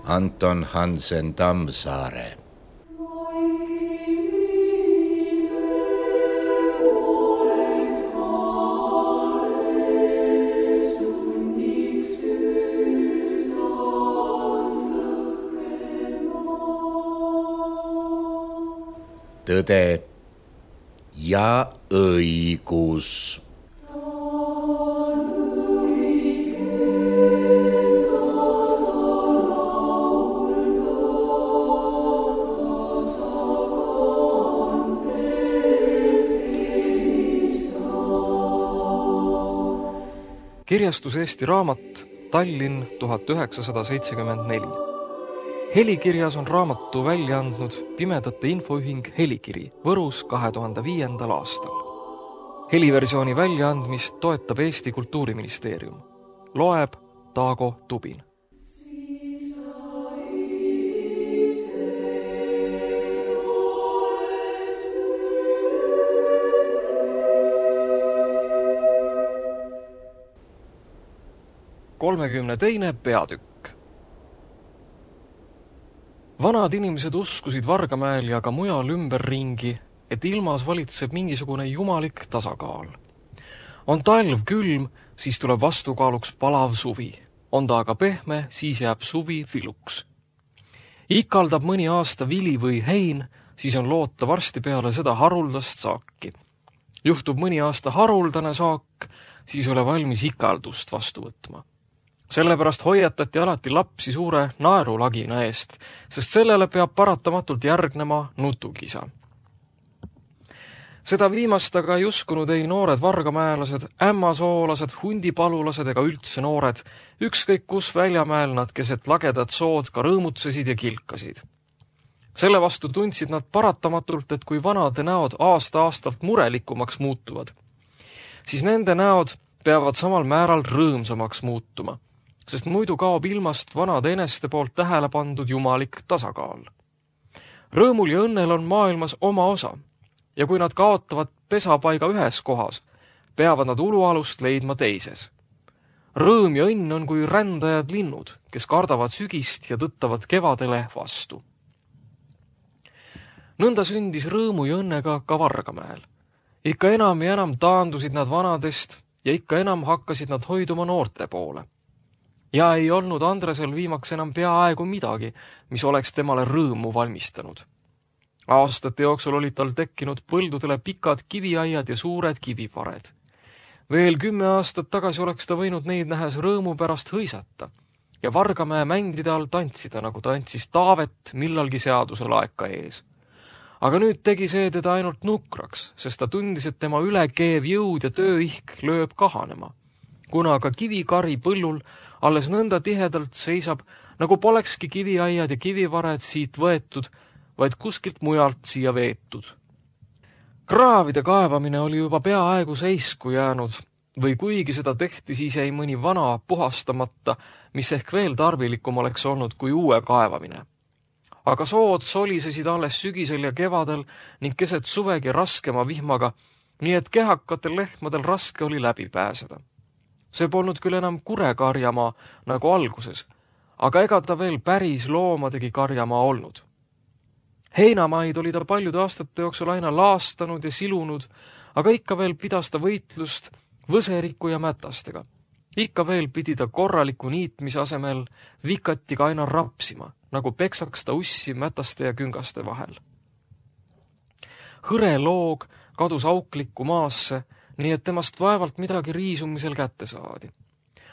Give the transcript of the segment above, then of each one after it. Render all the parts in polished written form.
Anton Hansen Tammsaare. Tõde ja õigus. Kirjastus Eesti Raamat, Tallinn 1974. Helikirjas on raamatu välja andnud Pimedate Infoühing Helikiri Võrus 2005. aastal. Heliversiooni väljaandmist toetab Eesti Kultuuriministeerium. Loeb Taago Tubin. Kolmekümne peatükk. Vanad inimesed uskusid Vargamäel ja ka mujal ümberringi, et ilmas valitseb mingisugune jumalik tasakaal. On talv külm, siis tuleb vastukaaluks palav suvi. On ta aga pehme, siis jääb suvi viluks. Ikaldab mõni aasta vili või hein, siis on loota varsti peale seda haruldast saaki. Juhtub mõni aasta haruldane saak, siis ole valmis ikaldust vastu võtma. Sellepärast hoiatati alati lapsi suure naerulagina eest, sest sellele peab paratamatult järgnema nutukisa. Seda viimast aga ei uskunud ei noored vargamäelased, ämmasoolased, hundipalulased ega üldse noored, ükskõik kus väljamäel nad keset lagedat sood ka rõõmutsesid ja kilkasid. Selle vastu tundsid nad paratamatult, et kui vanade näod aasta-aastalt murelikumaks muutuvad, siis nende näod peavad samal määral rõõmsamaks muutuma, sest muidu kaob ilmast vanade eneste poolt tähele pandud jumalik tasakaal. Rõõmul ja õnnel on maailmas oma osa, ja kui nad kaotavad pesapaiga ühes kohas, peavad nad ulualust leidma teises. Rõõm ja õnn on kui rändajad linnud, kes kardavad sügist ja tõttavad kevadele vastu. Nõnda sündis rõõmu ja õnnega ka Vargamäel. Ikka enam ja enam taandusid nad vanadest ja ikka enam hakkasid nad hoiduma noorte poole. Ja ei olnud Andresel viimaks enam peaaegu midagi, mis oleks temale rõõmu valmistanud. Aastate jooksul olid tal tekkinud põldudele pikad kiviaiad ja suured kivipared. Veel 10 aastat tagasi oleks ta võinud neid nähes rõõmu pärast hõisata ja Vargamäe mängide all tantsida, nagu tantsis Taavet millalgi seaduse laeka ees. Aga nüüd tegi see teda ainult nukraks, sest ta tundis, et tema ülekeev jõud ja tööihk lööb kahanema, kuna ka kivikari põllul alles nõnda tihedalt seisab, nagu polekski kiviaiad ja kivivared siit võetud, vaid kuskilt mujalt siia veetud. Kraavide kaevamine oli juba peaaegu seisku jäänud, või kuigi seda tehti, siis jäi mõni vana puhastamata, mis ehk veel tarvilikum oleks olnud kui uue kaevamine. Aga sood solisesid alles sügisel ja kevadel ning keset suvegi raskema vihmaga, nii et kehakatel lehmadel raske oli läbi pääseda. See polnud küll enam kurekarjamaa nagu alguses, aga ega ta veel päris loomadegi karjamaa olnud. Heinamaid oli ta paljude aastate jooksul aina laastanud ja silunud, aga ikka veel pidas ta võitlust võseriku ja mätastega. Ikka veel pidi ta korraliku niitmise asemel vikatiga aina rapsima, nagu peksaks ta ussi mätaste ja küngaste vahel. Hõre loog kadus auklikku maasse, nii et temast vaevalt midagi riisumisel kätte saadi.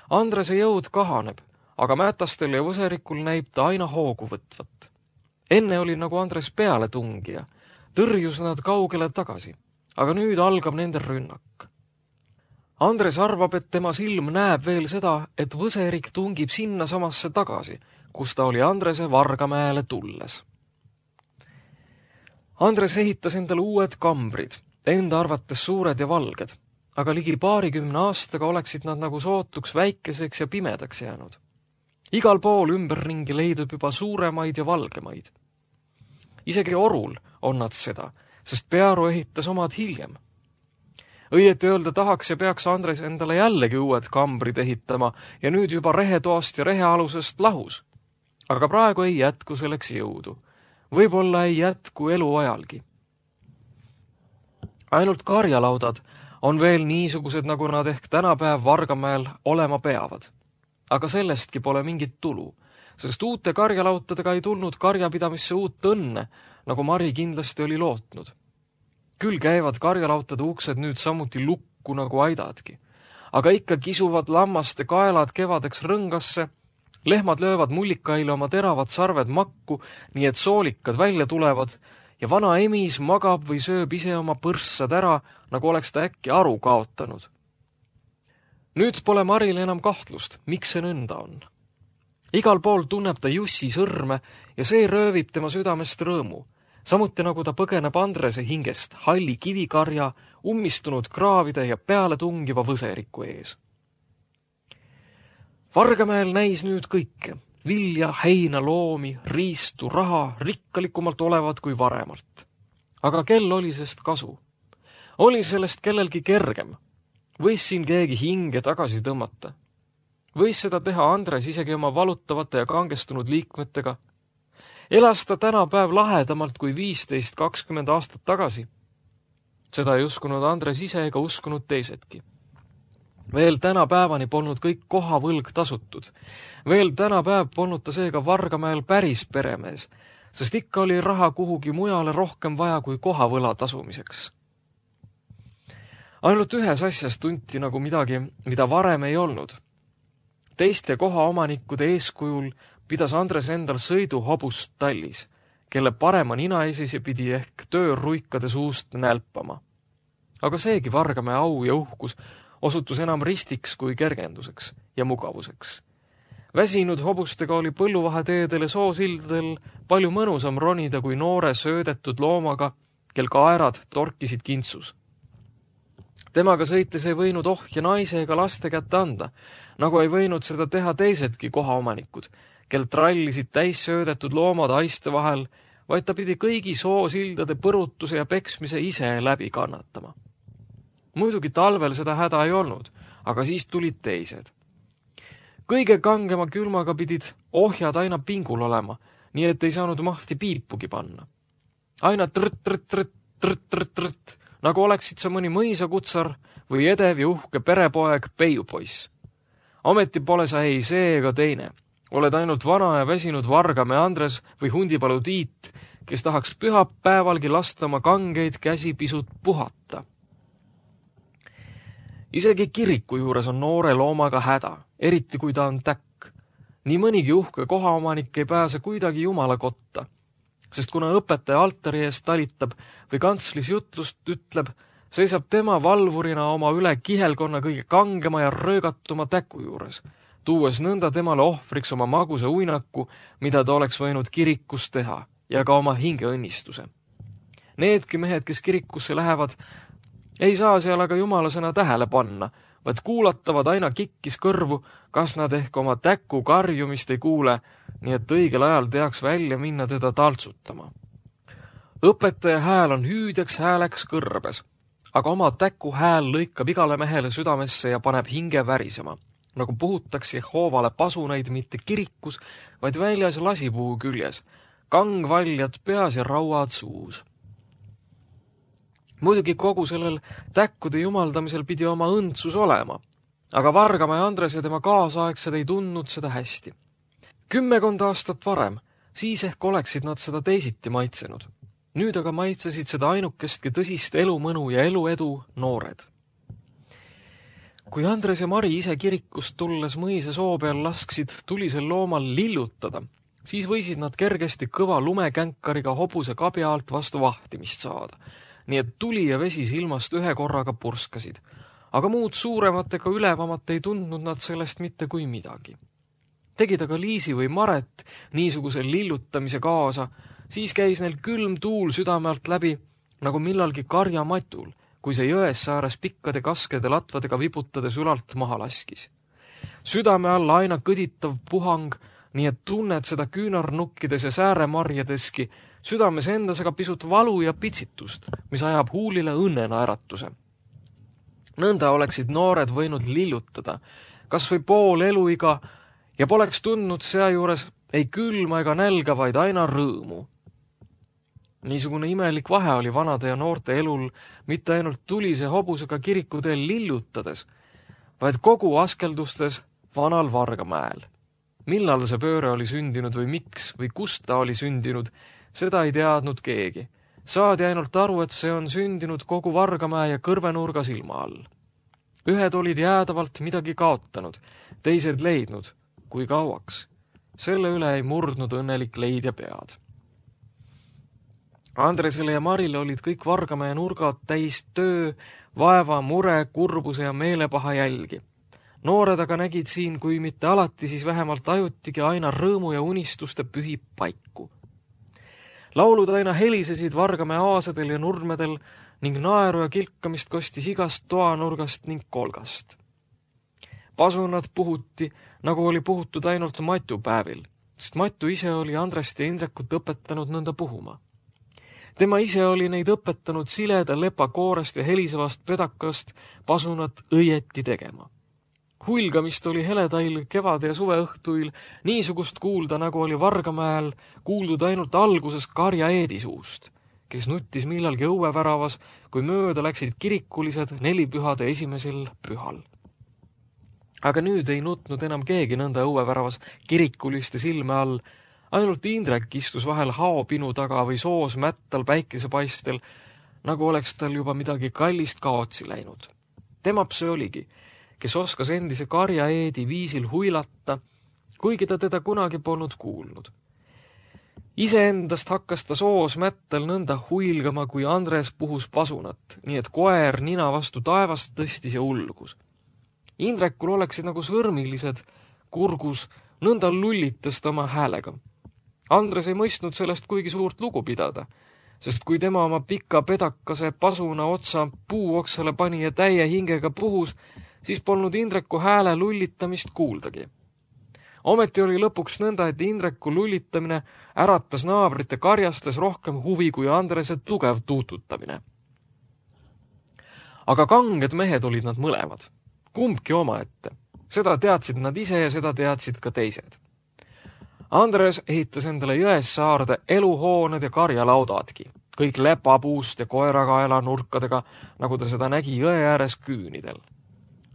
Andrese jõud kahaneb, aga mätastel ja võserikul näib ta aina hoogu võtvat. Enne oli nagu Andres peale tungija, tõrjus nad kaugele tagasi, aga nüüd algab nende rünnak. Andres arvab, et tema silm näeb veel seda, et võserik tungib sinna samasse tagasi, kus ta oli Andrese Vargamäele tulles. Andres ehitas endale uued kambrid, enda arvates suured ja valged, aga ligi 20 aastaga oleksid nad nagu sootuks väikeseks ja pimedaks jäänud. Igal pool ümberringi leidub juba suuremaid ja valgemaid. Isegi Orul on nad seda, sest Pearu ehitas omad hiljem. Õieti öelda tahaks ja peaks Andres endale jällegi uued kambrid ehitama ja nüüd juba rehetoast ja rehealusest lahus. Aga praegu ei jätku selleks jõudu. Võib-olla ei jätku eluajalgi. Ainult karjalaudad on veel niisugused, nagu nad ehk tänapäev Vargamäel olema peavad. Aga sellestki pole mingit tulu, sest uute karjalautadega ei tulnud karjapidamisse uut õnne, nagu Mari kindlasti oli lootnud. Küll käivad karjalautade uksed nüüd samuti lukku nagu aidadki, aga ikka kisuvad lammaste kaelad kevadeks rõngasse, lehmad löövad mullikaile oma teravad sarved makku, nii et soolikad välja tulevad, ja vana emis magab või sööb ise oma põrssad ära, nagu oleks ta äkki aru kaotanud. Nüüd pole Maril enam kahtlust, miks see nõnda on. Igal pool tunneb ta Jussi sõrme ja see röövib tema südamest rõõmu, samuti nagu ta põgeneb Andrese hingest halli kivikarja, ummistunud kraavide ja peale tungiva võseriku ees. Vargamäel näis nüüd kõike, vilja, heina, loomi, riistu, raha rikkalikumalt olevat kui varemalt. Aga kel oli sest kasu? Oli sellest kellelgi kergem? Võis siin keegi hinge tagasi tõmmata? Võis seda teha Andres isegi oma valutavate ja kangestunud liikmetega? Elas ta tänapäev lahedamalt kui 15-20 aastat tagasi? Seda ei uskunud Andres ise ega uskunud teisedki. Veel tänapäevani polnud kõik kohavõlg tasutud. Veel tänapäev polnud ta seega Vargamäel päris peremees, sest ikka oli raha kuhugi mujale rohkem vaja kui kohavõla tasumiseks. Ainult ühes asjas tunti nagu midagi, mida varem ei olnud. Teiste kohaomanikkude eeskujul pidas Andres endal sõiduhobust tallis, kelle parema ninaisisi pidi ehk tööruikade suust nälpama. Aga seegi Vargamäe au ja uhkus osutus enam ristiks kui kergenduseks ja mugavuseks. Väsinud hobustega oli põlluvaheteedel ja soosildadel palju mõnusam ronida kui noore söödetud loomaga, kel kaerad torkisid kintsus. Temaga sõites ei võinud ohja naise ega laste kätte anda, nagu ei võinud seda teha teisedki kohaomanikud, kel trallisid täis söödetud loomad haiste vahel, vaid ta pidi kõigi soosildade põrutuse ja peksmise ise läbi kannatama. Muidugi talvel seda häda ei olnud, aga siis tulid teised. Kõige kangema külmaga pidid ohjad aina pingul olema, nii et ei saanud mahti piipugi panna. Aina trõtt, nagu oleksid sa mõni mõisakutsar või edev ja uhke perepoeg peiupoiss. Ometi pole sa ei see ega teine. Oled ainult vana ja väsinud Vargamäe Andres või Hundipalu Tiit, kes tahaks pühapäevalgi lasta oma kangeid käsi pisut puhata. Isegi kiriku juures on noore loomaga häda, eriti kui ta on täkk. Nii mõnigi uhke kohaomanik ei pääse kuidagi jumala kotta, sest kuna õpetaja altari eest talitab või kantslis jutlust ütleb, seisab tema valvurina oma üle kihelkonna kõige kangema ja röögatuma täku juures, tuues nõnda temale ohvriks oma maguse uinaku, mida ta oleks võinud kirikus teha, ja ka oma hingeõnnistuse. Needki mehed, kes kirikusse lähevad, ei saa seal aga jumalasena tähele panna, vaid kuulatavad aina kikkis kõrvu, kas nad ehk oma täku karjumist ei kuule, nii et õigel ajal teaks välja minna teda taltsutama. Õpetaja hääl on hüüdjaks hääleks kõrbes, aga oma täku hääl lõikab igale mehele südamesse ja paneb hinge värisema, nagu puhutaks Jehoovale pasuneid mitte kirikus, vaid väljas lasipuu küljes, kangvaljad peas ja rauad suus. Muidugi kogu sellel täkkude jumaldamisel pidi oma õndsus olema, aga Vargamäe Andres ja tema kaasaegsed ei tundnud seda hästi. 10 aastat varem, siis ehk oleksid nad seda teisiti maitsenud. Nüüd aga maitsesid seda ainukestki tõsist elumõnu ja eluedu noored. Kui Andres ja Mari ise kirikust tulles mõise soo peal lasksid tulisel loomal lillutada, siis võisid nad kergesti kõva lumekänkariga hobuse kabja alt vastu vahtimist saada, nii et tuli ja vesi silmast ühe korraga purskasid, aga muud suuremat ega ülevamat ei tundnud nad sellest mitte kui midagi. Tegid aga Liisi või Maret niisuguse lillutamise kaasa, siis käis neil külm tuul südame alt läbi, nagu millalgi karjamatul, kui see jões sääres pikkade kaskede latvadega viputades ülalt maha laskis. Südame alla aina kõditav puhang, nii et tunned seda küünarnukkides ja sääremarjadeski, südames endas aga pisut valu ja pitsitust, mis ajab huulile õnnenaeratuse. Nõnda oleksid noored võinud lillutada, kas või pool eluiga, ja poleks tundnud seajuures ei külma ega nälga, vaid aina rõõmu. Niisugune imelik vahe oli vanade ja noorte elul mitte ainult tulise hobusega kirikuteel lillutades, vaid kogu askeldustes vanal Vargamäel. Millal see pööre oli sündinud või miks või kust ta oli sündinud, seda ei teadnud keegi. Saadi ainult aru, et see on sündinud kogu Vargamäe ja kõrvenurga silma all. Ühed olid jäädavalt midagi kaotanud, teised leidnud, kui kauaks. Selle üle ei murdnud õnnelik leidja pead. Andresele ja Marile olid kõik Vargamäe nurgad täis töö, vaeva, mure, kurbuse ja meelepaha jälgi. Noored aga nägid siin, kui mitte alati, siis vähemalt ajutigi aina rõõmu ja unistuste pühi paiku. Laulud aina helisesid Vargamäe aasadel ja nurmedel ning naeru ja kilkamist kostis igast toanurgast ning kolgast. Pasunad puhuti, nagu oli puhutud ainult Matu päevil, sest Matu ise oli Andrest ja Indrekut õpetanud nõnda puhuma. Tema ise oli neid õpetanud sileda lepakoorest ja helisevast pedakast pasunat õieti tegema. Hulgamist oli heledail kevade ja suveõhtuil niisugust kuulda, nagu oli Vargamäel kuuldud ainult alguses Karja Eedi suust, kes nuttis millalgi õueväravas, kui mööda läksid kirikulised nelipühade esimesel pühal. Aga nüüd ei nutnud enam keegi nõnda õueväravas kirikuliste silme all, ainult Indrek istus vahel haopinu taga või soos mättal päikesepaistel, nagu oleks tal juba midagi kallist kaotsi läinud. Temap see oligi, kes oskas endise Karja Eedi viisil huilata, kuigi ta teda kunagi polnud kuulnud. Iseendast hakkas ta soos mättal nõnda huilgama, kui Andres puhus pasunat, nii et koer nina vastu taevast tõstis ja ulgus. Indrekul oleksid nagu sõrmilised kurgus, nõnda lullitas ta oma häälega. Andres ei mõistnud sellest kuigi suurt lugu pidada, sest kui tema oma pika pedakase pasuna otsa puuoksale pani ja täie hingega puhus, siis polnud Indreku hääle lullitamist kuuldagi. Ometi oli lõpuks nõnda, et Indreku lullitamine äratas naabrite karjastes rohkem huvi kui Andrese tugev tuututamine. Aga kanged mehed olid nad mõlemad, kumbki omaette. Seda teadsid nad ise ja seda teadsid ka teised. Andres ehitas endale Jõessaarde eluhooned ja karjalaudadki, kõik lepapuust ja koerakaela nurkadega, nagu ta seda nägi jõe ääres küünidel.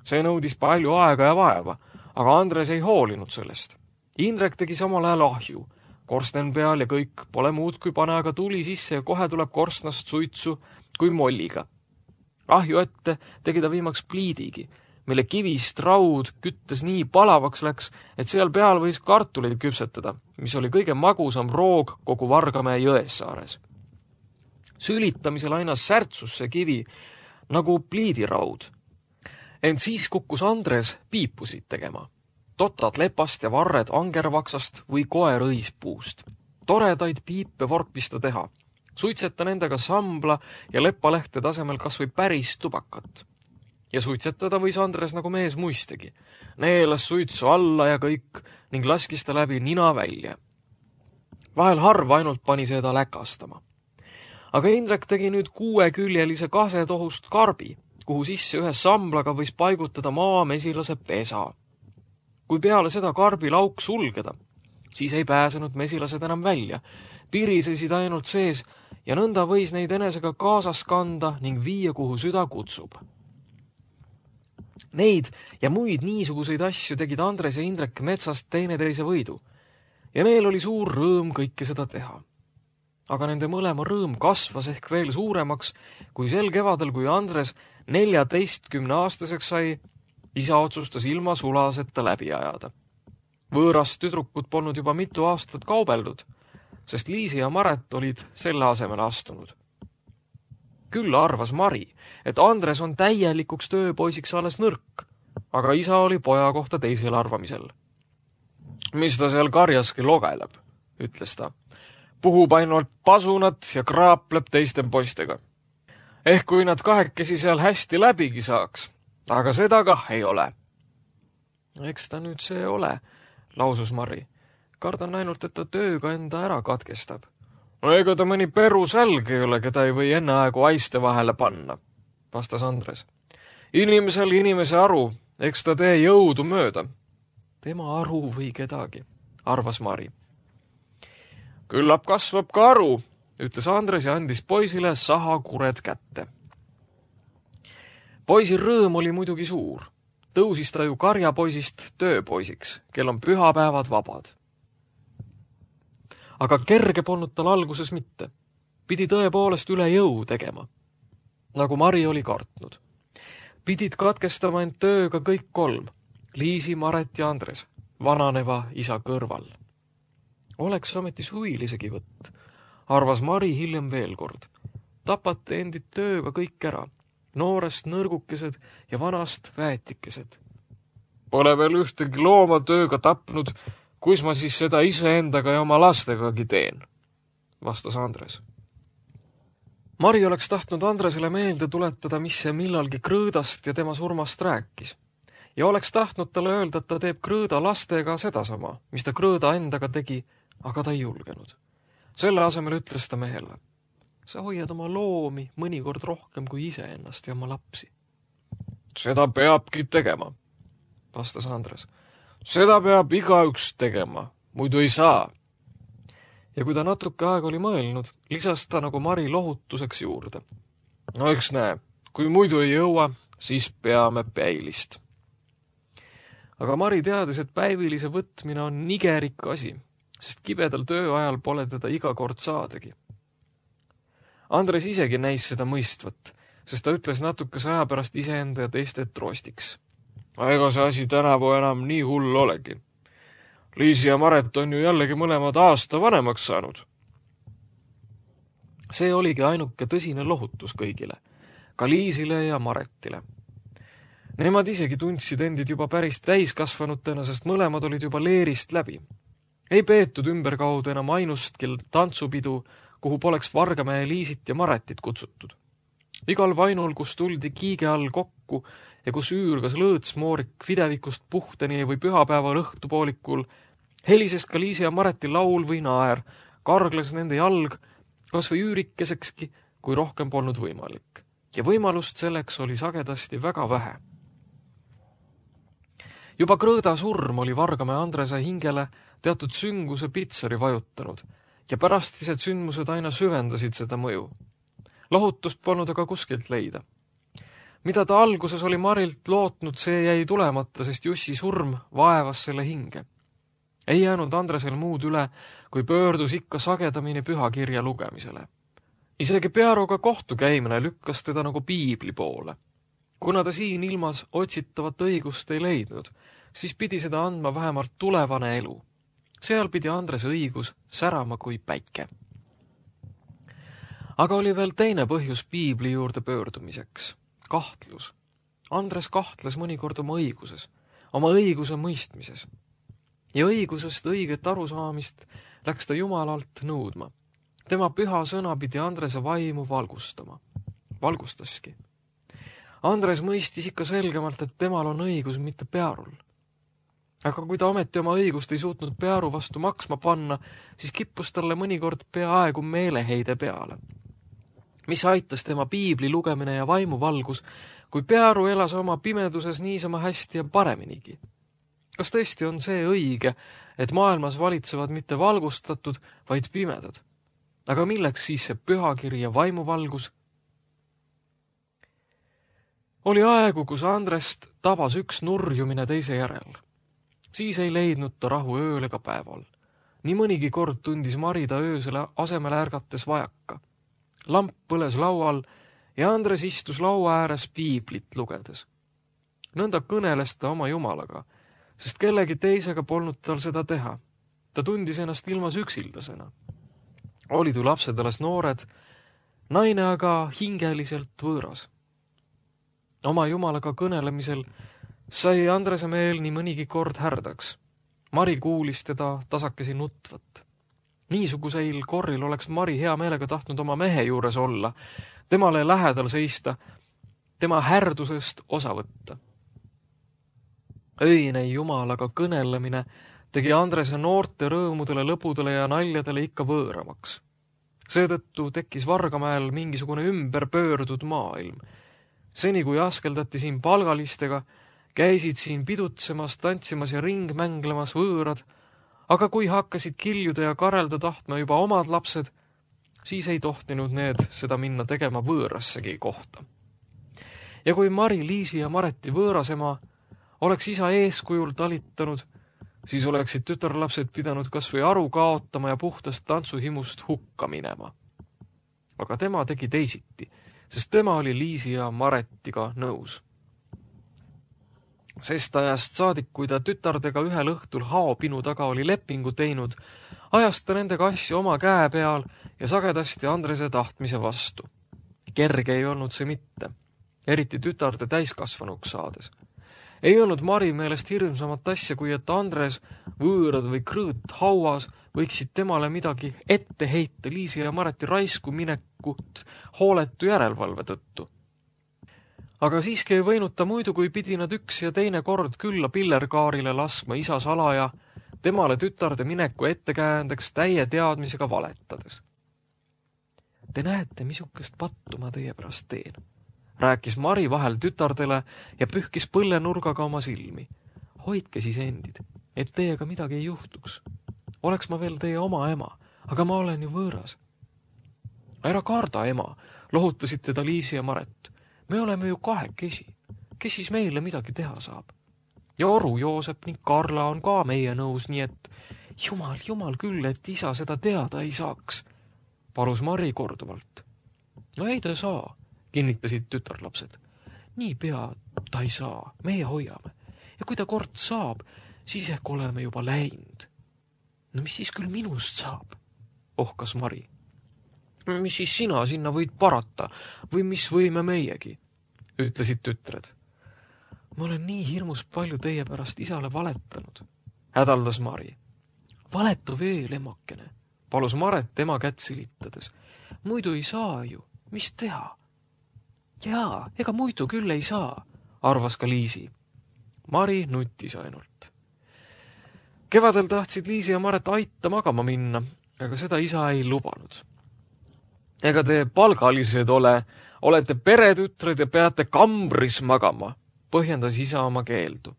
See nõudis palju aega ja vaeva, aga Andres ei hoolinud sellest. Indrek tegi samal ajal ahju, korsten peal ja kõik, pole muud kui pane aga tuli sisse ja kohe tuleb korstnast suitsu kui molliga. Ahju ette tegi ta viimaks pliidigi, mille kivist raud küttes nii palavaks läks, et seal peal võis kartuleid küpsetada, mis oli kõige magusam roog kogu Vargamäe Jõessaares. Sülitamisel aina särtsus see kivi nagu pliidiraud. Ent siis kukkus Andres piipusid tegema. Totad lepast ja varred angervaksast või koerõispuust. Toredaid piipe vorpista teha. Suitseta nendega sambla ja lepalehte tasemel kas või päris tubakat. Ja suitsetada võis Andres nagu mees muistegi. Neelas suitsu alla ja kõik ning laskis ta läbi nina välja. Vahel harva ainult pani seda läkastama. Aga Indrek tegi nüüd 6-küljelise kasetohust karbi, kuhu sisse ühe samblaga võis paigutada maamesilase pesa. Kui peale seda karbi lauk sulgeda, siis ei pääsenud mesilased enam välja, pirisesid ainult sees ja nõnda võis neid enesega kaasas kanda ning viia, kuhu süda kutsub. Neid ja muid niisuguseid asju tegid Andres ja Indrek metsast teineteise võidu ja neil oli suur rõõm kõike seda teha. Aga nende mõlema rõõm kasvas ehk veel suuremaks, kui sel kevadel, kui Andres 14-aastaseks sai, isa otsustas ilma sulaseta läbi ajada. Võõrast tüdrukut polnud juba mitu aastat kaubeldud, sest Liisi ja Maret olid selle asemele astunud. Küll arvas Mari, et Andres on täielikuks tööpoisiks alles nõrk, aga isa oli poja kohta teisel arvamisel. Mis ta seal karjaski logeleb, ütles ta. Puhub ainult pasunat ja kraapleb teiste poistega. Ehk kui nad kahekesi seal hästi läbigi saaks, aga seda kah ei ole. Eks ta nüüd see ole, lausus Mari. Kardan ainult, et ta tööga enda ära katkestab. No ega ta mõni perusälg ei ole, keda ei või enneaegu aiste vahele panna, vastas Andres. Inimesel inimese aru, eks ta tee jõudu mööda. tema aru või kedagi, arvas Mari. Küllap kasvab ka aru, ütles Andres ja andis poisile sahakured kätte. Poisil rõõm oli muidugi suur. Tõusis ta ju karjapoisist tööpoisiks, kel on pühapäevad vabad. Aga kerge polnud tal alguses mitte. Pidi tõepoolest üle jõu tegema, nagu Mari oli kartnud. Pidid katkestama end tööga kõik kolm, Liisi, Maret ja Andres, vananeva isa kõrval. Oleks ometi suvilisegi võtt, arvas Mari hiljem veel kord. Tapate endid tööga kõik ära, noorest nõrgukesed ja vanast väetikesed. Pole veel ühtegi looma tööga tapnud, kus ma siis seda iseendaga ja oma lastegagi teen, vastas Andres. Mari oleks tahtnud Andresele meelde tuletada, mis see millalgi Krõõdast ja tema surmast rääkis. Ja oleks tahtnud talle öelda, et ta teeb Krõõda lastega sedasama, mis ta Krõõda endaga tegi, aga ta ei julgenud. Selle asemel ütles ta mehele. Sa hoiad oma loomi mõnikord rohkem kui iseennast ja oma lapsi. Seda peabki tegema, vastas Andres. Seda peab igaüks tegema, muidu ei saa. Ja kui ta natuke aega oli mõelnud, lisas ta nagu Mari lohutuseks juurde. No eks näe, kui muidu ei jõua, siis peame päilist. Aga Mari teadis, et päivilise võtmine on nigerik asi, sest kibedal tööajal pole teda iga kord saadagi. Andres isegi näis seda mõistvat, sest ta ütles natukese aja pärast iseenda ja teiste troostiks. Ega see asi tänavu enam nii hull olegi. Liisi ja Maret on ju jällegi mõlemad aasta vanemaks saanud. See oligi ainuke tõsine lohutus kõigile, ka Liisile ja Maretile. Nemad isegi tundsid endid juba päris täiskasvanutena, sest mõlemad olid juba leerist läbi. Ei peetud ümberkaudu enam ainustki tantsupidu, kuhu poleks Vargamäe Liisit ja Maretit kutsutud. Igal vainul, kus tuldi kiige all kokku ja kus üürgas lõõtsmoorik videvikust puhteni või pühapäeval õhtupoolikul, helises ka Liisi ja Mareti laul või naer, kargles nende jalg, kas või üürikesekski, kui rohkem polnud võimalik. Ja võimalust selleks oli sagedasti väga vähe. Juba Krõõda surm oli Vargamäe Andrese hingele teatud sünguse pitsari vajutanud ja pärastised sündmused aina süvendasid seda mõju. Lohutust polnud aga kuskilt leida. Mida ta alguses oli Marilt lootnud, see jäi tulemata, sest Jussi surm vaevas selle hinge. Ei jäänud Andresel muud üle, kui pöördus ikka sagedamini pühakirja lugemisele. Isegi Pearuga kohtu käimine lükkas teda nagu piibli poole. Kuna ta siin ilmas otsitavat õigust ei leidnud, siis pidi seda andma vähemalt tulevane elu. Seal pidi Andrese õigus särama kui päike. Aga oli veel teine põhjus piibli juurde pöördumiseks. Kahtlus. Andres kahtles mõnikord oma õiguses, oma õiguse mõistmises. Ja õigusest õiget arusaamist läks ta Jumalalt nõudma. Tema püha sõna pidi Andrese vaimu valgustama. Valgustaski. Andres mõistis ikka selgemalt, et temal on õigus mitte Pearul. Aga kui ta ometi oma õigust ei suutnud Pearu vastu maksma panna, siis kippus talle mõnikord peaaegu meeleheide peale. Mis aitas tema piibli lugemine ja vaimuvalgus, kui Pearu elas oma pimeduses niisama hästi ja pareminigi. Kas tõesti on see õige, et maailmas valitsevad mitte valgustatud, vaid pimedad? Aga milleks siis see pühakiri ja vaimuvalgus? Oli aegu, kus Andrest tabas üks nurjumine teise järel. Siis ei leidnud ta rahu ööl ega päeval. Nii mõnigi kord tundis Mari ta öösele asemele ärgates vajaka. Lamp põles laual ja Andres istus laua ääres piiblit lugedes. Nõnda kõneles ta oma Jumalaga, sest kellegi teisega polnud tal seda teha. Ta tundis ennast ilmas üksildasena. Olid ju lapsed alles noored, naine aga hingeliselt võõras. Oma Jumalaga kõnelemisel sai Andrese meel nii mõnigi kord härdaks. Mari kuulis teda tasakesi nutvat. Niisuguseil korril oleks Mari hea meelega tahtnud oma mehe juures olla, temale lähedal seista, tema härdusest osa võtta. Öine Jumalaga kõnelemine tegi Andrese noorte rõõmudele, lõpudele ja naljadele ikka võõramaks. Seetõttu tekkis Vargamäel mingisugune ümberpöördud maailm. Seni kui askeldati siin palgalistega, Käisid siin pidutsemas, tantsimas ja ringmänglemas võõrad, aga kui hakkasid kiljuda ja karelda tahtma juba omad lapsed, siis ei tohtinud need seda minna tegema võõrassegi kohta. Ja kui Mari, Liisi ja Mareti võõrasema oleks isa eeskujul talitanud, siis oleksid tütarlapsed pidanud kas või aru kaotama ja puhtast tantsuhimust hukka minema. Aga tema tegi teisiti, sest tema oli Liisi ja Maretiga nõus. Sest ajast saadik, kui ta tütardega ühel õhtul haopinu taga oli lepingu teinud, ajas ta nendega asju oma käe peal ja sagedasti Andrese tahtmise vastu. Kerge ei olnud see mitte, eriti tütarde täiskasvanuks saades. Ei olnud Mari meelest hirmsamat asja, kui et Andres, võõrad või krõõt hauas võiksid temale midagi ette heita Liisi ja Mareti raisku minekut hooletu järelevalve tõttu. Aga siiski ei võinud ta muidu, kui pidi nad üks ja teine kord külla pillerkaarile laskma isa salaja, temale tütarde mineku ettekäändeks täie teadmisega valetades. Te näete, missugust pattu ma teie pärast teen, rääkis Mari vahel tütardele ja pühkis põllenurgaga oma silmi. Hoidke siis endid, et teiega midagi ei juhtuks. Oleks ma veel teie oma ema, aga ma olen ju võõras. Ära karda, ema, lohutasid teda Liisi ja Maret. Me oleme ju kahekesi, kes siis meile midagi teha saab. Ja Oru, Joosep ning Karla on ka meie nõus, nii et jumal küll, et isa seda teada ei saaks, palus Mari korduvalt. No ei ta saa, kinnitasid tütarlapsed. Niipea ta ei saa, meie hoiame. Ja kui ta kord saab, siis ehk oleme juba läinud. No mis siis küll minust saab, ohkas Mari. Mis siis sina sinna võid parata või mis võime meiegi, ütlesid tütred. Ma olen nii hirmus palju teie pärast isale valetanud, hädaldas Mari. Valetu veel, emakene, palus Maret tema kätt silitades. Muidu ei saa ju, mis teha? Jaa, ega muidu küll ei saa, arvas ka Liisi. Mari nutis ainult. Kevadel tahtsid Liisi ja Maret aita magama minna, aga seda isa ei lubanud. Ega te palgalised olete peretütred ja peate kambris magama, põhjendas isa oma keeldu.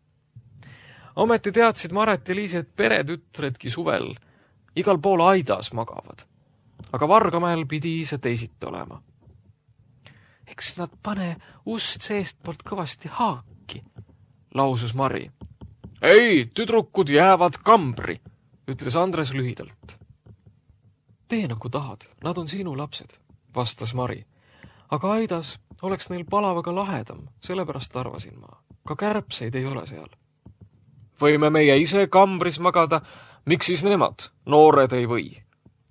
Ometi teadsid Maret ja Liisi, et peretütredki suvel igal pool aidas magavad, aga Vargamäel pidi see teisiti olema. Eks nad pane ust seestpoolt kõvasti haaki, lausus Mari. Ei, tüdrukud jäävad kambri, ütles Andres lühidalt. Tee nagu tahad, nad on sinu lapsed, vastas Mari. Aga aidas oleks neil palavaga lahedam, sellepärast arvasin ma. Ka kärbseid ei ole seal. Võime meie ise kambris magada, miks siis nemad, noored ei või,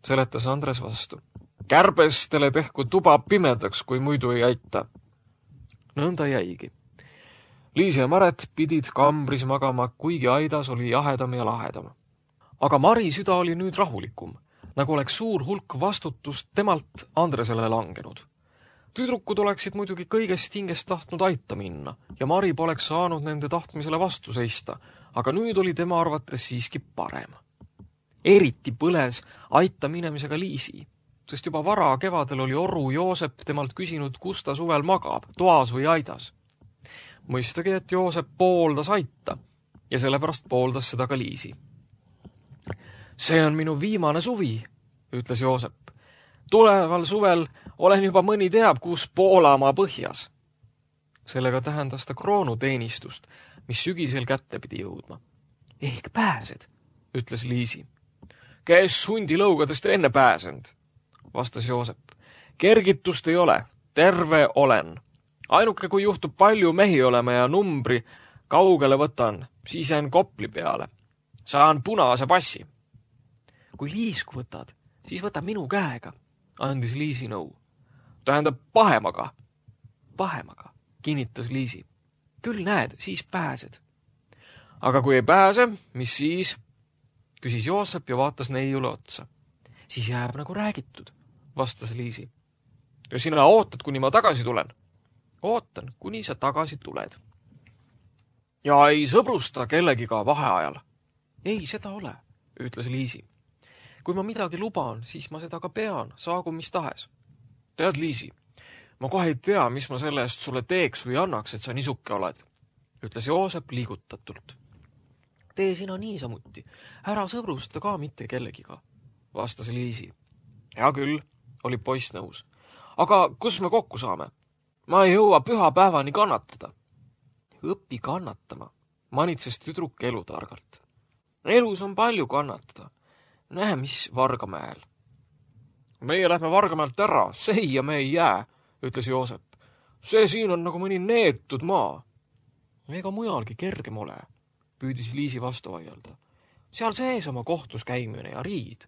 seletas Andres vastu. Kärbestele tehku tuba pimedaks, kui muidu ei aita. Nõnda jäigi. Liisi ja Maret pidid kambris magama, kuigi aidas oli jahedam ja lahedam. Aga Mari süda oli nüüd rahulikum, nagu oleks suur hulk vastutust temalt Andresele langenud. Tüdrukud oleksid muidugi kõigest hingest tahtnud aita minna ja Mari poleks saanud nende tahtmisele vastu seista, aga nüüd oli tema arvates siiski parem. Eriti põles aita minemisega Liisi, sest juba vara kevadel oli Oru Joosep temalt küsinud, kus ta suvel magab, toas või aidas. Mõistagi, et Joosep pooldas aita ja sellepärast pooldas seda ka Liisi. See on minu viimane suvi, ütles Joosep. Tuleval suvel olen juba mõni teab, kus Poolamaa põhjas. Sellega tähendas ta kroonuteenistust, mis sügisel kätte pidi jõudma. Ehk pääsed, ütles Liisi. Kes hundilõugadest enne pääsend, vastas Joosep. Kergitust ei ole, terve olen. Ainuke, kui juhtub palju mehi olema ja numbri kaugele võtan, siis jään Kopli peale. Saan punase passi. Kui liisku võtad, siis võta minu käega, andis Liisi nõu. Tähendab pahemaga. Pahemaga, kinnitas Liisi. Küll näed, siis pääsed. Aga kui ei pääse, mis siis? Küsis Joosep ja vaatas neiule otsa. Siis jääb nagu räägitud, vastas Liisi. Ja sina ootad, kuni ma tagasi tulen? Ootan, kuni sa tagasi tuled. Ja ei sõbrusta kellegiga vaheajal? Ei, seda ole, ütles Liisi. Kui ma midagi luban, siis ma seda ka pean, saagu mis tahes. Tead, Liisi, ma kohe ei tea, mis ma selle eest sulle teeks või annaks, et sa nisuke oled. ütles Joosep liigutatult. Tee sina niisamuti, ära sõbrusta ka mitte kellegiga, vastas Liisi. Hea küll, oli poiss nõus. Aga kus me kokku saame? Ma ei jõua pühapäevani kannatada. Õpi kannatama, manitses tüdruk elutargalt. Elus on palju kannatada. Näe, mis Vargamäel. Meie lähme Vargamäelt ära, seia me ei jää, ütles Joosep. See siin on nagu mõni neetud maa. Ega mujalgi kergem ole, püüdis Liisi vastu vaielda. Seal sees oma kohtus käimine ja riid.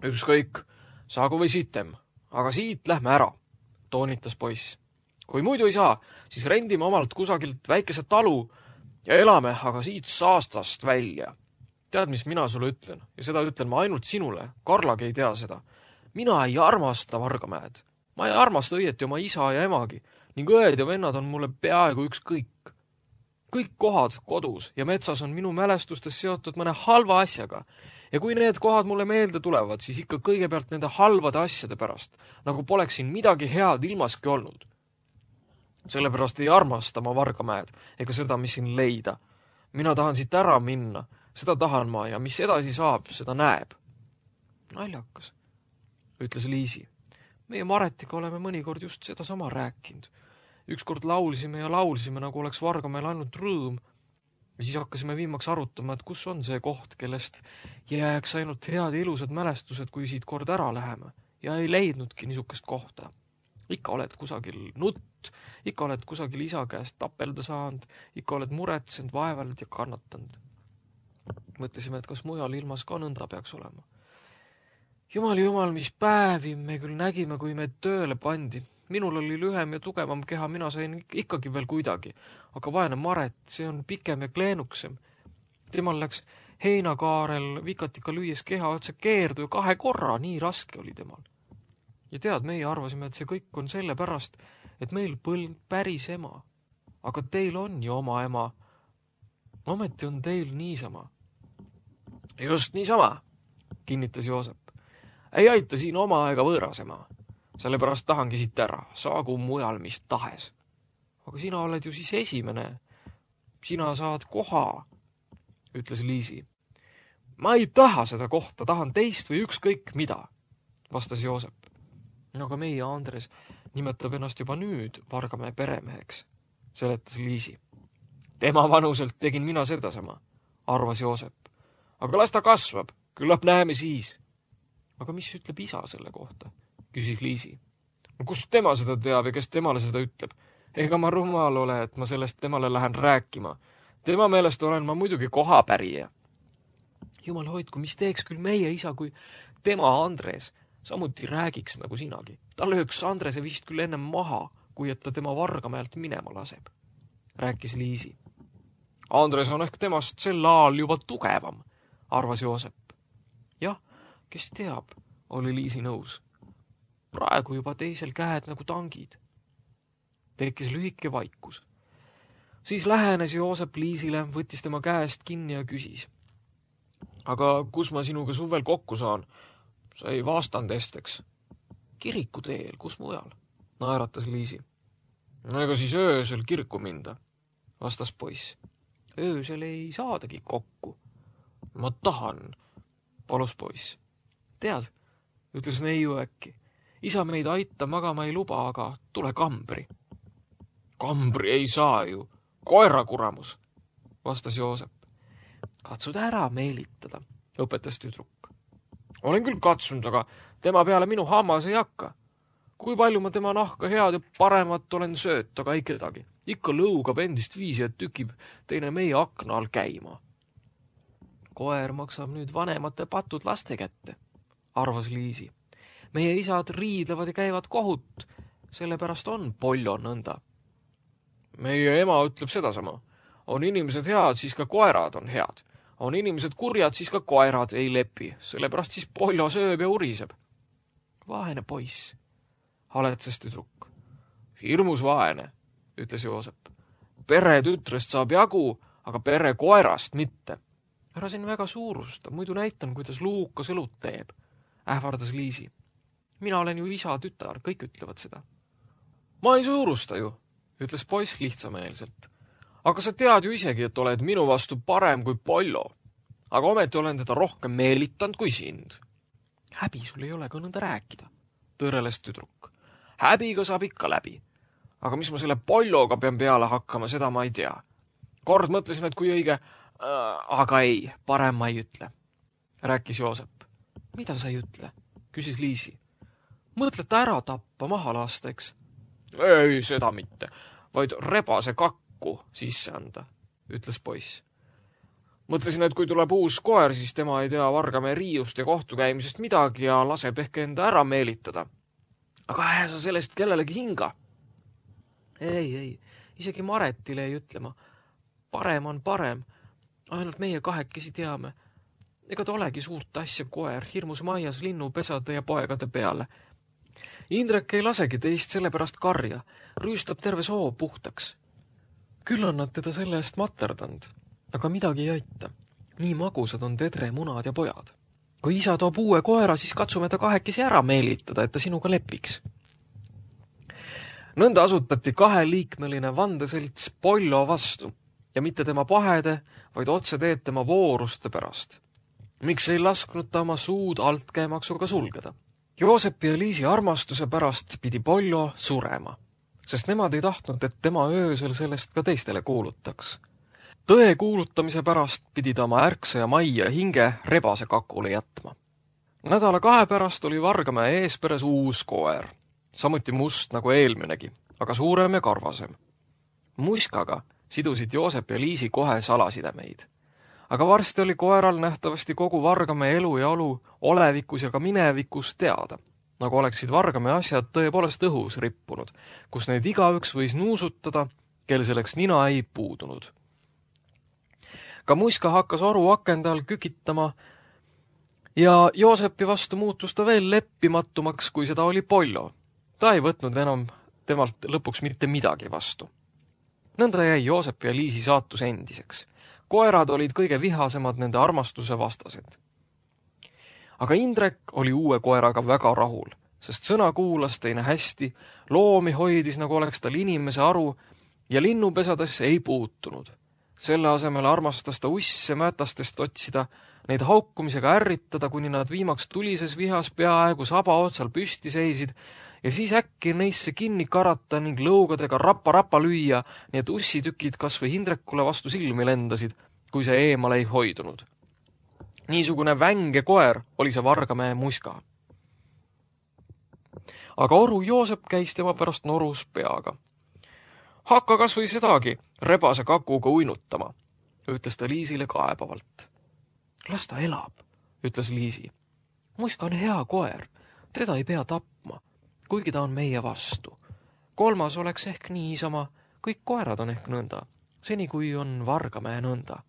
Ükskõik, saagu või sitem, aga siit lähme ära, toonitas poiss. Kui muidu ei saa, siis rendime omalt kusagilt väikese talu ja elame aga siit saastast välja. Tead, mis mina sulle ütlen? Ja seda ütlen ma ainult sinule. Karlagi ei tea seda. Mina ei armasta Vargamäed. Ma ei armasta õieti oma isa ja emagi ning õed ja vennad on mulle peaaegu ükskõik. Kõik kohad kodus ja metsas on minu mälestustes seotud mõne halva asjaga ja kui need kohad mulle meelde tulevad, siis ikka kõigepealt nende halvade asjade pärast, nagu poleks siin midagi head ilmaski olnud. Sellepärast ei armasta ma Vargamäed ega seda, mis siin leida. Mina tahan siit ära minna, seda tahan ma ja mis edasi saab, seda näeb. Naljakas, ütles Liisi. Meie Maretiga oleme mõnikord just seda sama rääkinud. Ükskord laulsime ja laulsime, nagu oleks Vargamäel ainult rõõm. Ja siis hakkasime viimaks arutama, et kus on see koht, kellest jääks ainult head ja ilusad mälestused, kui siit kord ära läheme. Ja ei leidnudki niisugust kohta. Ikka oled kusagil nutt, ikka oled kusagil isa käest tapelda saanud, ikka oled muretsenud, vaevald ja kannatanud. Mõtlesime, et kas mujal ilmas ka nõnda peaks olema. Jumal, mis päevi me küll nägime, kui meid tööle pandi. Minul oli lühem ja tugevam keha, mina sain ikkagi veel kuidagi. Aga vaene Maret, see on pikem ja kleenuksem. Temal läks heinakaarel vikatika lüües keha otse keerdu ja 2 korra, nii raske oli temal. Ja tead, meie arvasime, et see kõik on selle pärast, et meil põlnud päris ema. Aga teil on ju oma ema. Ometi on teil niisama. Just niisama, kinnitas Joosep. Ei aita siin oma ega võõras ema. Sellepärast tahangi siit ära, saagu mujal mis tahes. Aga sina oled ju siis esimene. Sina saad koha, ütles Liisi. Ma ei taha seda kohta, tahan teist või ükskõik mida, vastas Joosep. Aga meie Andres nimetab ennast juba nüüd Vargamäe peremeheks, seletas Liisi. Tema vanuselt tegin mina sedasama, arvas Joosep. Aga las ta kasvab, küllap näeme siis. Aga mis ütleb isa selle kohta, küsis Liisi. Kust tema seda teab ja kes temale seda ütleb? Ega ma rumal ole, et ma sellest temale lähen rääkima. Tema meelest olen ma muidugi kohapärija. Jumal hoidku, mis teeks küll meie isa, kui tema Andres samuti räägiks nagu sinagi. Ta lööks Andrese vist küll ennem maha, kui et ta tema Vargamäelt minema laseb, rääkis Liisi. Andres on ehk temast sel ajal juba tugevam, arvas Joosep. Jah, kes teab, oli Liisi nõus. Praegu juba teisel käed nagu tangid. Tekkis lühike vaikus. Siis lähenes Joosep Liisile, võttis tema käest kinni ja küsis. Aga kus ma sinuga suvel kokku saan? Sa ei vastanud esteks. Kiriku teel, kus mujal? Naeratas Liisi. Ega siis öösel kirku minda, vastas poiss. Öösel ei saadagi kokku. Ma tahan, palus poiss. Tead, ütles neiu äkki. Isa meid aita magama ei luba, aga tule kambri. Kambri ei saa ju, koera kuramus, vastas Joosep. Katsud ära meelitada, õpetas tüdruk. Olen küll katsunud, aga tema peale minu hammas ei hakka. Kui palju ma tema nahka head ja paremat olen sööt, aga ei kedagi. Ikka lõugab endist viisi, et tükib teine meie akna all käima. Koer maksab nüüd vanemate patud laste kätte, arvas Liisi. Meie isad riidlevad ja käivad kohut, sellepärast on Pollo nõnda. Meie ema ütleb sedasama. On inimesed head, siis ka koerad on head. On inimesed kurjad, siis ka koerad ei lepi, sellepärast siis Pollo sööb ja uriseb. Vaene poiss, haletses tüdruk. Hirmus vaene, ütles Joosep. Pere tütrest saab jagu, aga pere koerast mitte. Ära siin väga suurusta, muidu näitan, kuidas Luukas õlut teeb, ähvardas Liisi. Mina olen ju isa tütar, kõik ütlevad seda. Ma ei suurusta ju, ütles poiss lihtsameelselt. Aga sa tead ju isegi, et oled minu vastu parem kui Pollo. Aga ometi olen teda rohkem meelitanud kui sind. Häbi sul ei ole ka nõnda rääkida, tõreles tüdruk. Häbiga saab ikka läbi. Aga mis ma selle Polloga pean peale hakkama, seda ma ei tea. Kord mõtlesin, et kui õige, aga ei, parem ma ei ütle, rääkis Joosep. Mida sa ei ütle, küsis Liisi. Mõtled ta ära tappa, maha lasta, eks? Ei, seda mitte, vaid rebase kakku sisse anda, ütles poiss. Mõtlesin, et kui tuleb uus koer, siis tema ei tea Vargamäe riiust ja kohtukäimisest midagi ja laseb ehk enda ära meelitada. Aga sa sellest kellelegi hinga. Ei, isegi Maretile ei ütlema. Parem on parem, ainult meie kahekesi teame. Ega ta olegi suurt asja koer, hirmus maias linnupesade ja poegade peale. Indrek ei lasegi teist sellepärast karja, rüüstab terve soo puhtaks. Küll on nad teda selle eest materdanud, aga midagi ei aita. Nii magusad on tedre, munad ja pojad. Kui isa toob uue koera, siis katsume ta kahekesi ära meelitada, et ta sinuga lepiks. Nõnda asutati 2-liikmeline vandeselts Pollo vastu ja mitte tema pahede, vaid otse teed tema vooruste pärast. Miks ei lasknud ta oma suud altkäemaksuga sulgeda? Joosepi ja Liisi armastuse pärast pidi Pollo surema, sest nemad ei tahtnud, et tema öösel sellest ka teistele kuulutaks. Tõe kuulutamise pärast pidi ta oma ärksa ja majja hinge rebase kakule jätma. Nädala 2 pärast oli Vargamäe eesperes uus koer, samuti must nagu eelminegi, aga suurem ja karvasem. Muskaga sidusid Joosep ja Liisi kohe salasidemeid. Aga varsti oli koeral nähtavasti kogu Vargamäe elu ja olu olevikus ja ka minevikus teada, nagu oleksid Vargamäe asjad tõepoolest õhus rippunud, kus neid igaüks võis nuusutada, kel selleks nina ei puudunud. Ka muska hakkas oru akende all kükitama ja Joosepi vastu muutus ta veel leppimatumaks, kui seda oli Pollo. Ta ei võtnud enam temalt lõpuks mitte midagi vastu. Nõnda jäi Joosep ja Liisi saatus endiseks. Koerad olid kõige vihasemad nende armastuse vastased. Aga Indrek oli uue koeraga väga rahul, sest sõna kuulas teine hästi, loomi hoidis, nagu oleks tal inimese aru ja linnupesadesse ei puutunud. Selle asemel armastas ta usse mätastest otsida, neid haukumisega ärritada, kuni nad viimaks tulises vihas peaaegu saba otsal püsti seisid ja siis äkki neisse kinni karata ning lõugadega rapa lüüa, nii et ussitükid kas või Indrekule vastu silmi lendasid, kui see eemale ei hoidunud. Niisugune vänge koer oli see Vargamäe muska. Aga oru Joosep käis tema pärast norus peaga. Hakka kas või sedagi rebase kakuga uinutama, ütles ta Liisile kaebavalt. Las ta elab, ütles Liisi. Muska on hea koer, teda ei pea tapma, kuigi ta on meie vastu. 3. oleks ehk niisama, kõik koerad on ehk nõnda, seni kui on Vargamäe nõnda.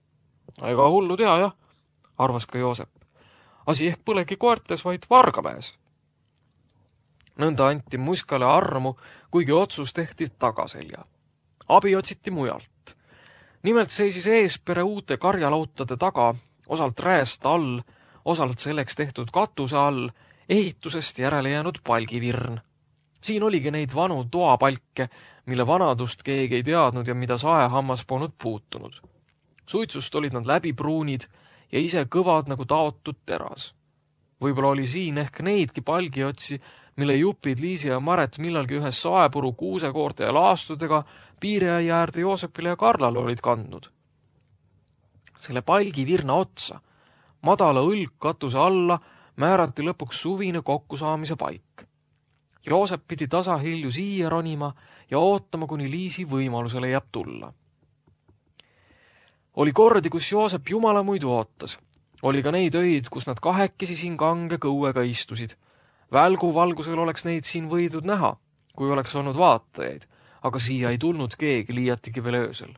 Ega hullu tea, jah, arvas ka Joosep. Asi ehk põlegi koertes, vaid Vargamäes. Nõnda anti muskale armu, kuigi otsus tehti tagaselja. Abi otsiti mujalt. Nimelt seisis eespere uute karjalautade taga, osalt rääst all, osalt selleks tehtud katuse all, ehitusest järele jäänud palgivirn. Siin oligi neid vanu toapalke, mille vanadust keegi ei teadnud ja mida saehammas polnud puutunud. Suitsust olid nad läbipruunid ja ise kõvad nagu taotud teras. Võib-olla oli siin ehk neidki palgiotsi, mille jupid Liisi ja Maret millalgi ühes saepuru kuusekoorte ja laastudega piiriaia äärde Joosepile ja Karlale olid kandnud. Selle palgivirna otsa, madala õlgkatuse alla, määrati lõpuks suvine kokkusaamise paik. Joosep pidi tasahilju siia ronima ja ootama, kuni Liisi võimalusele jääb tulla. Oli kordi, kus Joosep jumala muidu ootas. Oli ka neid öid, kus nad kahekesi siin kange kõuega istusid. Välgu valgusel oleks neid siin võidud näha, kui oleks olnud vaatajaid, aga siia ei tulnud keegi liiatigi veel öösel.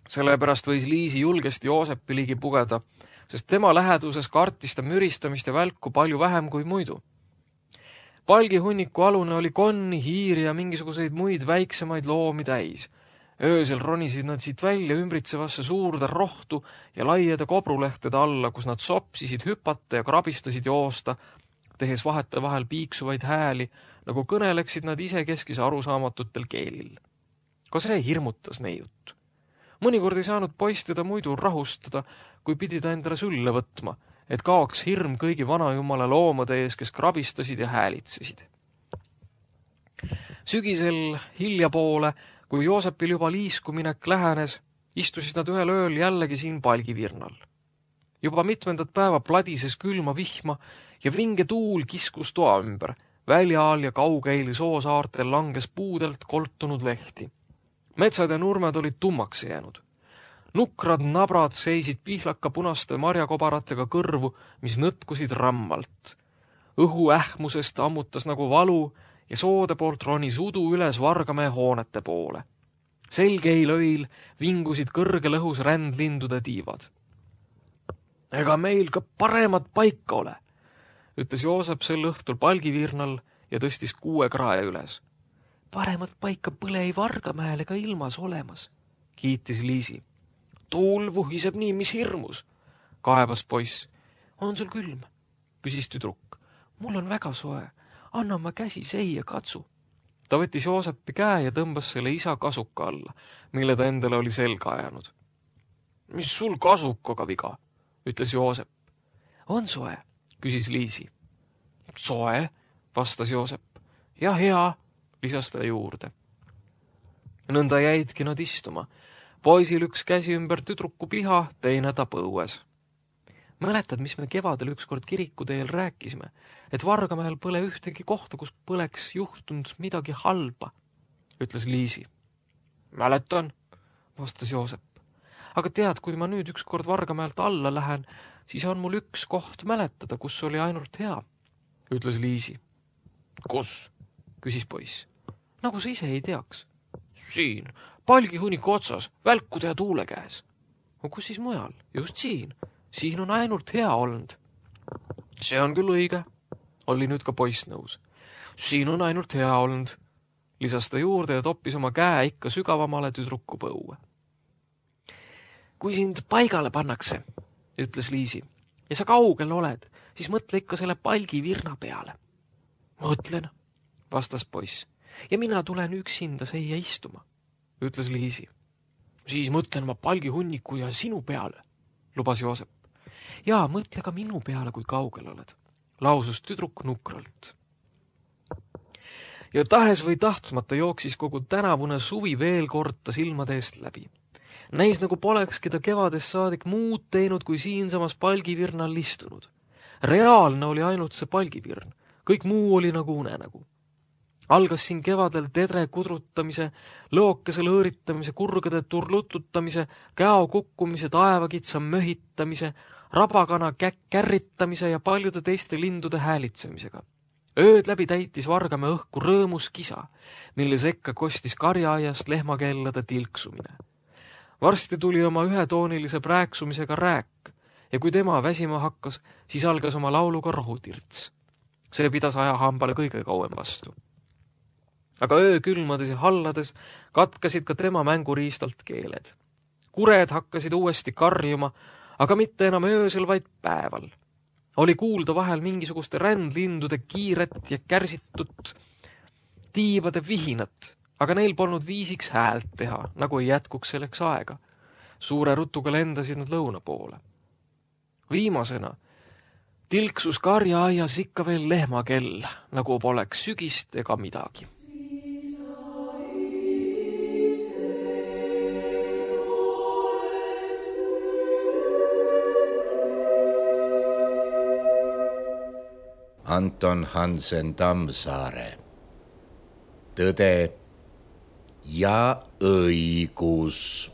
Sellepärast võis Liisi julgesti Joosepi ligi pugeda, sest tema läheduses kartis ta müristamist ja välku palju vähem kui muidu. Palgihunniku alune oli konni, hiiri ja mingisuguseid muid väiksemaid loomi täis. Öösel ronisid nad siit välja ümbritsevasse suurde rohtu ja laiede kobrulehtede alla, kus nad sopsisid hüpata ja krabistasid joosta, tehes vahete vahel piiksuvaid hääli, nagu kõneleksid nad isekeskis arusaamatutel keelil. Ka see hirmutas neiut. Mõnikord ei saanud poiss teda muidu rahustada, kui pidi ta endale sülle võtma, et kaoks hirm kõigi vanajumala loomade ees, kes krabistasid ja häälitsesid. Sügisel hilja poole, kui Joosepil juba liiskuminek lähenes, istusid nad ühel ööl jällegi siin palgivirnal. Juba mitmendat päeva pladises külma vihma ja vinge tuul kiskus toa ümber. Väljaal ja kaugeil soosaartel langes puudelt koltunud lehti. Metsad ja nurmed olid tummaks jäänud. Nukrad nabrad seisid pihlaka punaste marjakobaratega kõrvu, mis nõtkusid rammalt. Õhu ähmusest ammutas nagu valu ja soode poolt ronis udu üles Vargamäe hoonete poole. Selgeil öil vingusid kõrgel õhus rändlindude tiivad. Ega meil ka paremat paika ole, ütles Joosep sel õhtul palgivirnal ja tõstis 6 krae üles. Paremat paika pole ei Vargamäel ega ilmas olemas, kiitis Liisi. Tuul vuhiseb nii, mis hirmus, kaebas poiss. On sul külm? Küsis tüdruk. Mul on väga soe, anna ma käsi seia katsu. Ta võttis Joosepi käe ja tõmbas selle isa kasuka alla, mille ta endale oli selga ajanud. Mis sul kasukaga viga? Ütles Joosep. On soe? Küsis Liisi. Soe, vastas Joosep. Ja hea, lisas ta juurde. Nõnda jäidki nad istuma. Poisil üks käsi ümber tüdruku piha, teine ta põues. Mäletad, mis me kevadel ükskord kirikuteel rääkisime, et Vargamäel pole ühtegi kohta, kus poleks juhtunud midagi halba, ütles Liisi. Mäletan, vastas Joosep. Aga tead, kui ma nüüd ükskord Vargamäelt alla lähen, siis on mul üks koht mäletada, kus oli ainult hea, ütles Liisi. Kus? Küsis poiss. Nagu sa ise ei teaks. Siin, palgihunniku otsas, välkude ja tuule käes. Kus siis mujal? Just siin. Siin on ainult hea olnud. See on küll õige, oli nüüd ka poiss nõus. Siin on ainult hea olnud, lisas ta juurde ja toppis oma käe ikka sügavamale tüdruku põue. Kui sind paigale pannakse, ütles Liisi, ja sa kaugel oled, siis mõtle ikka selle palgivirna peale. Mõtlen, vastas poiss, ja mina tulen üksinda seia istuma, ütles Liisi. Siis mõtlen ma palgihunniku ja sinu peale, lubas Joosep. Jaa, mõtle ka minu peale, kui kaugel oled, lausus tüdruk nukralt. Ja tahes või tahtmata jooksis kogu tänavune suvi veel kord ta silmade eest läbi. Näis nagu polekski ta kevadest saadik muud teinud, kui siinsamas palgivirnal istunud. Reaalne oli ainult see palgivirn, kõik muu oli nagu unenägu. Algas siin kevadel tedre kudrutamise, lõokese lõõritamise, kurgade turlututamise, käo kukkumise, taevakitsa möhitamise, rabakana kärritamise ja paljude teiste lindude häälitsemisega. Ööd läbi täitis Vargamäe õhku rõõmus kisa, mille sekka kostis karjaaiast lehmakellade tilksumine. Varsti tuli oma ühetoonilise prääksumisega rääk ja kui tema väsima hakkas, siis algas oma lauluga rohutirts. See pidas ajahambale kõige kauem vastu. Aga öökülmades ja hallades katkasid ka tema mänguriistalt keeled. Kured hakkasid uuesti karjuma, aga mitte enam öösel, vaid päeval. Oli kuulda vahel mingisuguste rändlindude kiiret ja kärsitud tiibade vihinat, aga neil polnud viisiks häält teha, nagu ei jätkuks selleks aega. Suure rutuga lendasid nad lõuna poole. Viimasena tilksus karjaaias ikka veel lehmakell, nagu poleks sügist ega midagi. Anton Hansen Tammsaare. Tõde ja õigus.